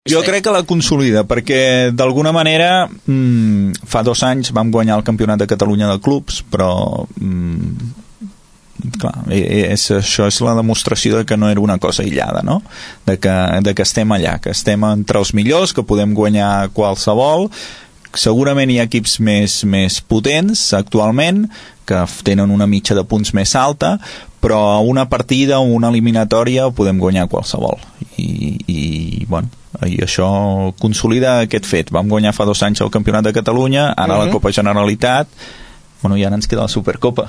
Jo crec que la consolida, perquè d'alguna manera fa 2 anys vam guanyar el Campionat de Catalunya de clubs, però clar, això és la demostració de que no era una cosa aïllada, no? De que estem allà, que estem entre els millors, que podem guanyar qualsevol. Segurament hi ha equips més potents actualment, que tenen una mitja de punts més alta, però una partida o una eliminatòria podem guanyar qualsevol. I això consolida aquest fet. Vam guanyar fa 2 anys el Campionat de Catalunya, ara la Copa Generalitat, i ara ens queda la Supercopa.